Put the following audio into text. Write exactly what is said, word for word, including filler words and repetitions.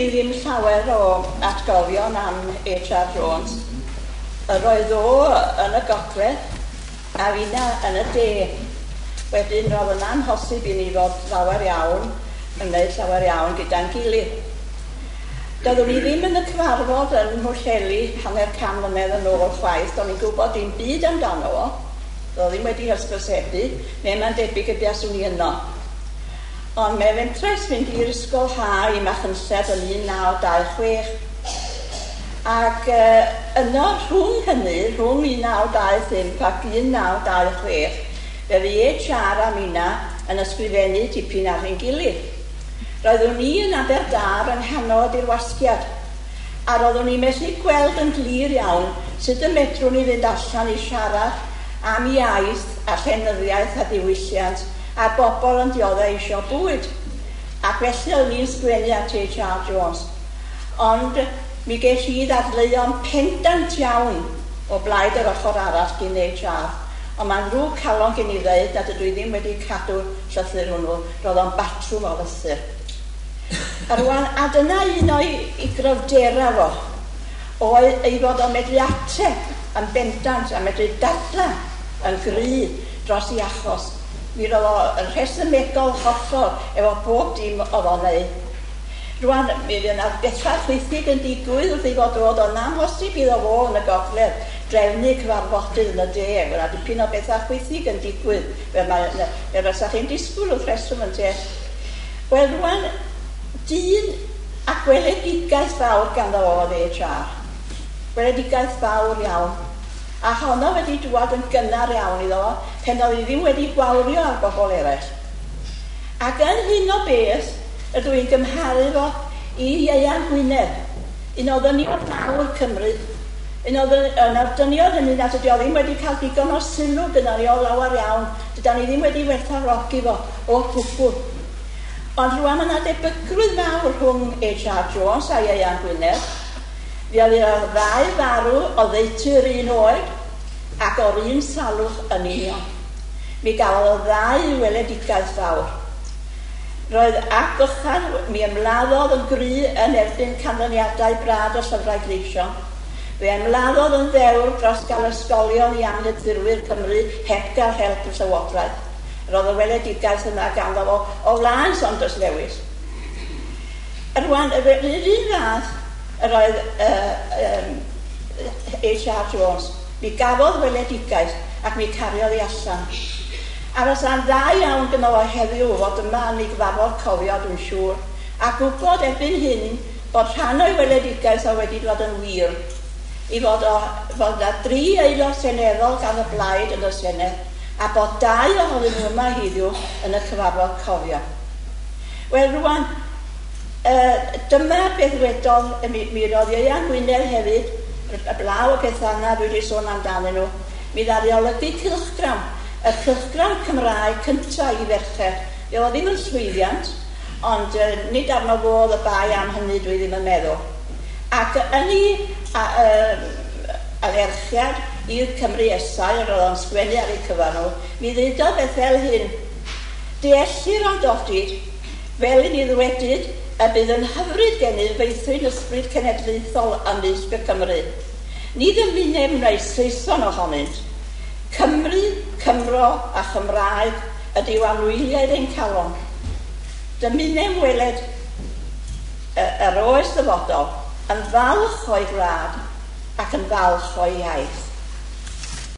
i ddim llawer o atgofion am H R Jones. Yr oedd o yn y gogledd a finna yn y de. Wedyn roedd yn amhosib i ni fod llawer iawn, yn gwneud llawer iawn gyda'n gilydd. Doeddwn i ddim yn y cyfarfod yn Mhwllheli hanner can mlynedd yn ôl chwaith, do'n i'n gwybod dim byd amdano fo. Doedd ddim wedi hysbysebu, neu mae'n debyg y buaswn i yno. Ond mae fentres fynd i'r ysgol ha i Machynlleth yn un naw dau chwech. Ac uh, yno rhwng hynny, rhwng un naw dau phump ac un naw dau chwech, fe fu H R a minna yn ysgrifennu tipyn ar ein gilydd. Roeddwn i yn Aberdâr yng nghanol y dirwasgiad, a roeddwn i'n methu gweld yn glir iawn sut y medrwn i fynd allan i siarad am iaith a llenyddiaeth a diwylliant a bobl yn dioddef eisiau bwyd. Ac felly oeddwn i'n sgwennu at H R Jones. Ond mi ges i ddadleuon pendant iawn o blaid yr ochr arall gyn H R. Ond mae'n ddrwg calon gen i ddeud nad ydw i ddim wedi cadw'r llythyr hwnnw, roedd o'n batrwm o lythyr. A rwan, a dyna un o'i i gryfdera fo, oedd ei fod o'n medru ateb yn bendant a medru dadla yn gry dros ei achos. Mi roedd o yn rhesymegol hollol efo bob dim oedd o'n neud. Rwan, mi fydd yna bethau chwithig yn digwydd wrth ei fod roedd o'n amhosib iddo fo yn y gogledd drefnu cyfarfodydd yn y de. Fydd yna dipyn o bethau chwithig yn digwydd, fel mae, fel fysa chi'n disgwyl wrth reswm yn te. Wel, rwan, dyn a gweledigaeth fawr ganddo fo oedd H R. Gweledigaeth fawr iawn. A honno wedi dŵad yn gynnar iawn iddo fo, pen oedd hi ddim wedi gwawrio ar bobl eraill. Ac yn hyn o beth, ydw i'n gymharu fo i Ieuan Gwynedd, un o ddynion mawr Cymru, un o dynion hynny nad ydi o ddim wedi cael digon o sylw gyda ni o lawer iawn, dydan ni ddim wedi werthfawrogi fo o gwbl. Ond rwan mae yna debygrwydd mawr rhwng H R Jones a Ieuan Gwynedd. Fe oedd y ddau farw oddeutu'r un oed ac o'r un salwch yn union. Mi gafodd y ddau weledigaeth fawr. Roedd Ap Vychan, mi ymladdodd yn gry yn erbyn canlyniadau brad y llyfrau gleision. Fe ymladdodd yn ddewr dros gael ysgolion i anghydffurfwyr Cymru heb gael help y Llywodraeth. Roedd y weledigaeth yna ganddo fo o flaen Saunders Lewis. Rwan, yr un fath yr oedd uh, um, H R Jones. Mi gafodd weledigaeth ac mi cariodd ei allan. A fysa'n dda iawn gyda fo heddiw fod yma yn ei gyfarfod cofio, dwi'n siŵr, a gwybod erbyn hyn bod rhan o'i weledigaeth o wedi dod yn wir, i fod o, fod yna dri aelod seneddol gan y blaid yn y Senedd, a bod dau ohonyn nhw yma heddiw yn y cyfarfod cofio. Wel, rwan, uh, dyma beth wedodd, mi, mi roedd Ieuan Gwynedd hefyd, y blaw y pethau yna dwi wedi sôn amdanyn nhw, mi ddaru olygu cylchgrawn, y cylchgrawn Cymraeg cyntaf i ferched. Fe oedd ddim yn llwyddiant, ond uh, nid arno fo oedd y bai am hynny dwi ddim yn meddwl. Ac yn ei uh, alerchiad i'r Cymru Esau, yr oedd o'n sgwennu ar eu cyfan nhw, mi ddeudodd beth fel hyn: deellir ond odid, fel i ni ddwedyd, y bydd yn hyfryd gennyf feithrin ysbryd cenedlaethol ymysg y Cymru. Ni ddymunem wneud Saeson ohonynt. Cymru, Cymro a Chymraeg ydyw anwyliaid ein calon. Dymunem weled yr oes ddyfodol yn falch o'i gwlad ac yn falch o'i iaith.